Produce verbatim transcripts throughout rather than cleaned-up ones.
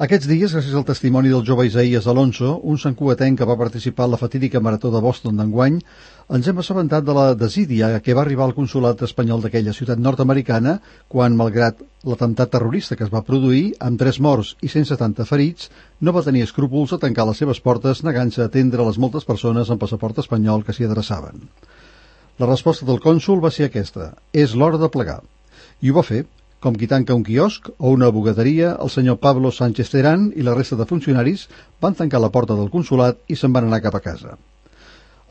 Aquests dies, gràcies al testimoni del jove Isaías Alonso, un santcugatenc que va participar en la fatídica marató de Boston d'enguany, ens hem assabentat de la desídia que va arribar al consolat espanyol d'aquella ciutat nord-americana quan, malgrat l'atemptat terrorista que es va produir, amb tres morts i cent setanta ferits, no va tenir escrúpols a tancar les seves portes negant-se a atendre les moltes persones amb passaport espanyol que s'hi adreçaven. La resposta del cònsol va ser aquesta: és l'hora de plegar. I ho va fer. Com qui tanca un quiosc o una bugaderia, el senyor Pablo Sánchez Terán i la resta de funcionaris van tancar la porta del consolat i se'n van anar cap a casa.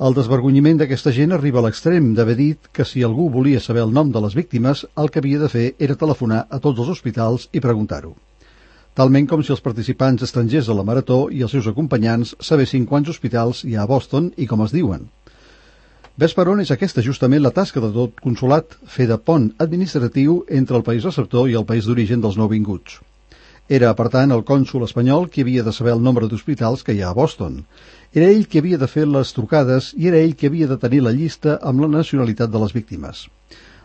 El desvergonyiment d'aquesta gent arriba a l'extrem d'haver dit que si algú volia saber el nom de les víctimes, el que havia de fer era telefonar a tots els hospitals i preguntar-ho. Talment com si els participants estrangers de la marató i els seus acompanyants sabessin quants hospitals hi ha a Boston i com es diuen. Ves per on és aquesta justament la tasca de tot consolat, fer de pont administratiu entre el país receptor i el país d'origen dels nouvinguts. Era, per tant, el cònsol espanyol qui havia de saber el nombre d'hospitals que hi ha a Boston. Era ell qui havia de fer les trucades i era ell qui havia de tenir la llista amb la nacionalitat de les víctimes.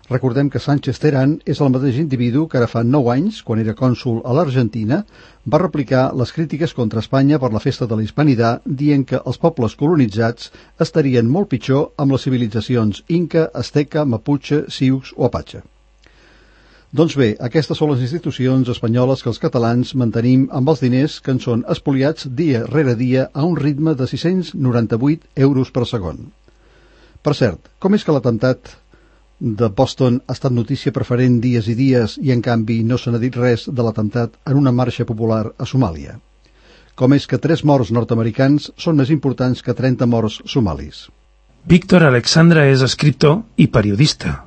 Recordem que Sánchez Terán és el mateix individu que ara fa nou anys, quan era cònsol a l'Argentina, va replicar les crítiques contra Espanya per la festa de la Hispanitat, dient que els pobles colonitzats estarien molt pitjor amb les civilitzacions Inca, Azteca, Mapuche, Sioux o Apache. Doncs bé, aquestes són les institucions espanyoles que els catalans mantenim amb els diners que ens són espoliats dia rere dia a un ritme de sis-cents noranta-vuit euros per segon. Per cert, com és que l'atemptat de Boston ha estat notícia preferent dies i dies i en canvi no se n'ha dit res de l'atemptat en una marxa popular a Somàlia? Com és que tres morts nord-americans són més importants que trenta morts somalis? Víctor Alexandra és escriptor i periodista.